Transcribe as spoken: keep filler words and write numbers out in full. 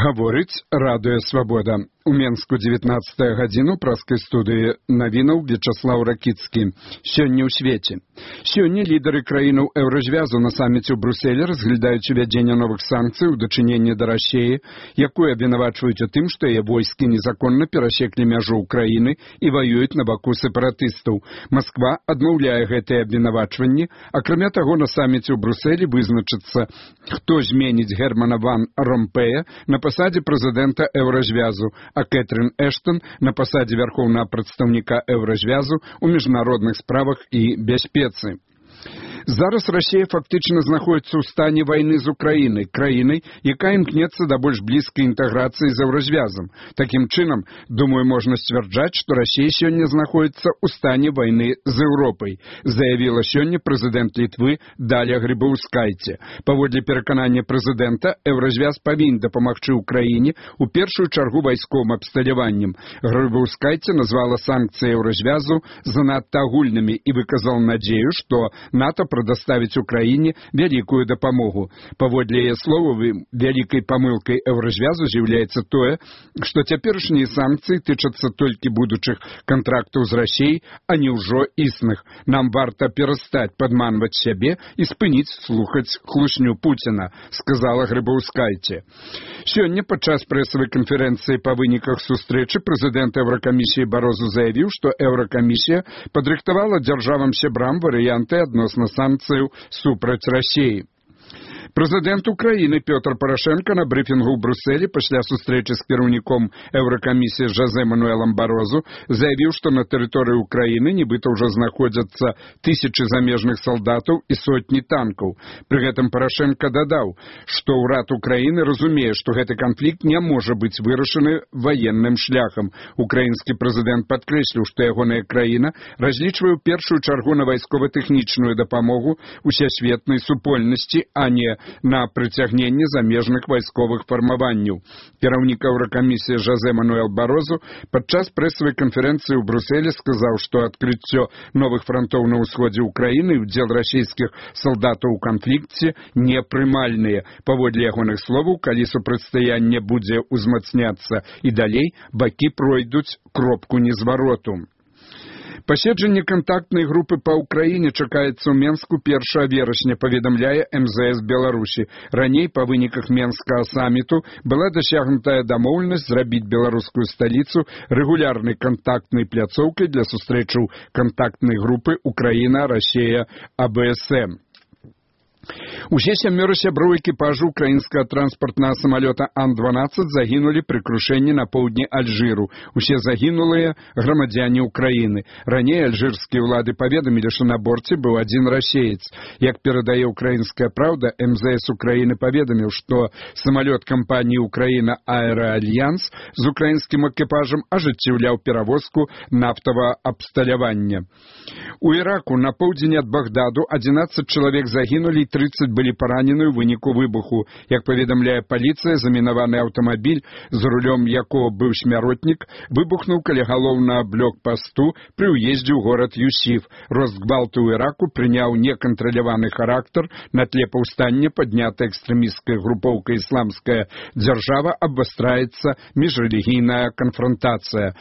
Гаворыць радыё «Свабода». У Менску дзевятнаццатая гадзіну праскай студыі навінаў Вячаслаў Ракіцкі. Сёння ў свеце. Сёння лідары краінаў Еўразвязу на саміце ў Брюсселі разглядаюць увядзенне новых санкцый у дачыненні да Расіі, якую абвінавачваюць у тым, што яе войскі незаконна перасеклі мяжу ўкраіны і ваююць на баку сепаратыстаў. Масква адмаўляе гэтыя абвінавачванні. Акрамя таго, на саміце ў Брюсселі вызначыцца, хто зменіць Германа ван Ромпея на пасадзе прэзідэнта Еўразвязу, а Кэтрин Эштон на пасадзе вярхоўнага прадстаўніка Еўразвязу ў міжнародных справах і бяспецы. Зараз Расія фактычна знаходіцца ў стане вайны з Украінай, краінай, якая імкнецца да больш блізкай інтэграцыі з Еўразвязам. Такім чынам, думаю, можна сцвярджаць, што Расія сёння знаходіцца ў стане вайны з Еўропай, заявіла сёння прэзідэнт Літвы Даля Грыбаўскайце. Паводле пераканання прэзідэнта, Еўразвяз павінен дапамагчы ўкраіне у першую чаргу вайсковым абсталяваннем. Грыбаўскайце назвала санкцыі Еўразвязу занадта агульнымі і выказала надзею, што НАТО предоставить Украине великую допомогу. Паводле яе словаў, вялікай памылкай Еўразвязу з'яўляецца тое, што цяперашнія санкцыі тычацца толькі будучых контрактаў з Расіяй, а не ўжо існых. Нам варта перастаць падманваць сябе і спыніць слухаць хлусню Пуціна, сказала Грыбаўскайце. Сёння падчас прэсавай канферэнцыі па выніках сустрэчы прэзідэнт Еўракамісіі Барозу заявіў, што Еўракамісія падрыхтавала дзяржавам-сябрам варыянты адносна санкцыяў супраць Расіі. Прэзідэнт Украіны Пётр Парашенко на брыфінгу ў Брюсселі пасля сустрэчы з кіраўніком Еўракамісіі Жозе Мануэлам Барозу заявіў, што на тэрыторыі Украіны нібыта ўжо знаходзяцца тысячы замежных салдатаў і сотні танкаў. Пры гэтым Парашенко дадаў, што ўрад Украіны разумее, што гэты канфлікт не можа быць вырашаны ваенным шляхам. Украінскі прэзідэнт падкрэсліў, што ягоная краіна разлічвае ў першую чаргу на вайскова-тэхнічную дапамогу усесветнай супольнасці, а не на прыцягненне замежных вайсковых фармаванняў. Кіраўнік Еўракамісіі Жозе Мануэл Барозу падчас прэсавай канферэнцыі ў Брюсселі сказаў, што адкрыццё новых франтоў на ўсходзе ўкраіны і ўдзел расійскіх салдатаў у канфлікце непрымальныя. Паводле ягоных словаў, калі супрацьстаянне будзе ўзмацняцца і далей, бакі пройдуць кропку незвароту. Паседжанне кантактнай групы па Ўкраіне чакаецца ў Менску першага верасня, паведамляе эм зэ эс Беларусі. Раней па выніках Менскага саміту была дасягнутая дамоўленасць зрабіць беларускую сталіцу рэгулярнай кантактнай пляцоўкай для сустрэчаў кантактнай групы Украіна, Расія, а бэ эс эм. Усе сямёра сяброў экіпажу украінскага транспартнага самалёта Ан дванаццаць загінулі пры крушэнні на поўдні Альжыру. Усе загінулыя грамадзяне Украіны. Раней альжырскія ўлады паведамілі, што на борце быў адзін расеец. Як перадае «Украінская правда», эм зэ эс Украіны паведаміў, што самалёт кампаніі «Украіна Аэраальянс» з украінскім экіпажам ажыццяўляў перавозку нафтавага абсталявання. У Іраку на поўдзень ад Багдаду адзінаццаць чалавек загінулі, трыццаць былі паранены ў выніку выбуху. Як паведамляе паліцыя, замінаваны аўтамабіль, з рулём якога быў смяротнік, выбухнуў каля галоўнага блокпасту пры ўездзе ў горад Юсіф. Рост гвалту ў Іраку прыняў некантраляваны характар на тле паўстання, паднята экстрэмісцкай групоўкай «Ісламская дзяржава», абвастраецца міжрэлігійная канфронтацыя.